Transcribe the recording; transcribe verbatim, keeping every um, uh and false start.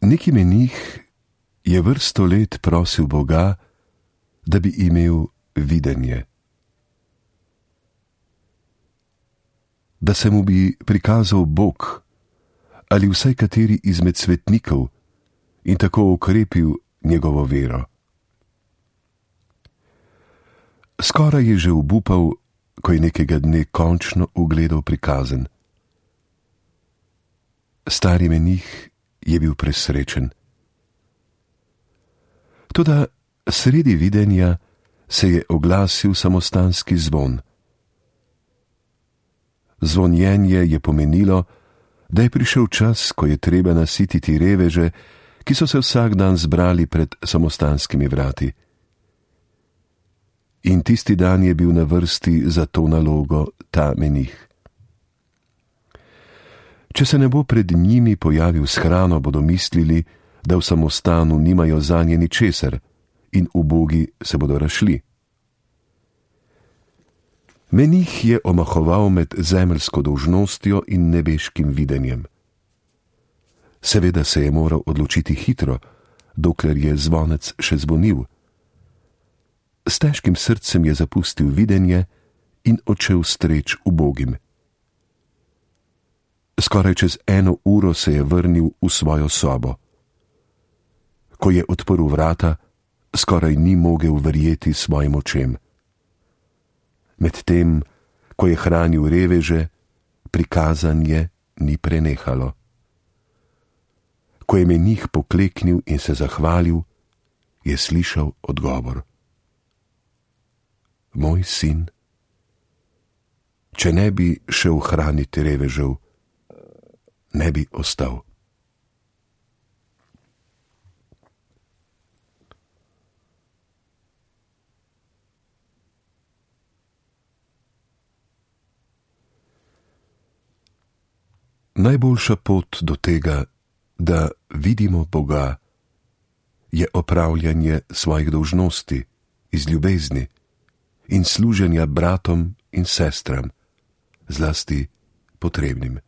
Neki menih je vrsto let prosil Boga, da bi imel videnje. Da se mu bi prikazal Bog ali vsaj kateri izmed svetnikov in tako okrepil njegovo vero. Skoraj je že obupal, ko je nekega dne končno ugledal prikazen. Stari menih je bil presrečen. Toda sredi videnja se je oglasil samostanski zvon. Zvonjenje je pomenilo, da je prišel čas, ko je treba nasititi reveže, ki so se vsak dan zbrali pred samostanskimi vrati. In tisti dan je bil na vrsti za to nalogo ta menih. Če se ne bo pred njimi pojavil s hrano, bodo mislili, da v samostanu nimajo zanje ničesar in ubogi se bodo razšli. Menih je omahoval med zemeljsko dolžnostjo in nebeškim videnjem. Seveda se je moral odločiti hitro, dokler je zvonec še zvonil. S težkim srcem je zapustil videnje in odšel streč ubogim. Skoraj čez eno uro se je vrnil v svojo sobo. Ko je odprl vrata, skoraj ni mogel verjeti svojim očem. Medtem, ko je hranil reveže, prikazanje ni prenehalo. Ko je menih pokleknil in se zahvalil, je slišal odgovor. Moj sin, če ne bi šel hraniti revežev, ne bi ostal. Najboljša pot do tega, da vidimo Boga, je opravljanje svojih dolžnosti iz ljubezni in služenja bratom in sestram, zlasti potrebnim.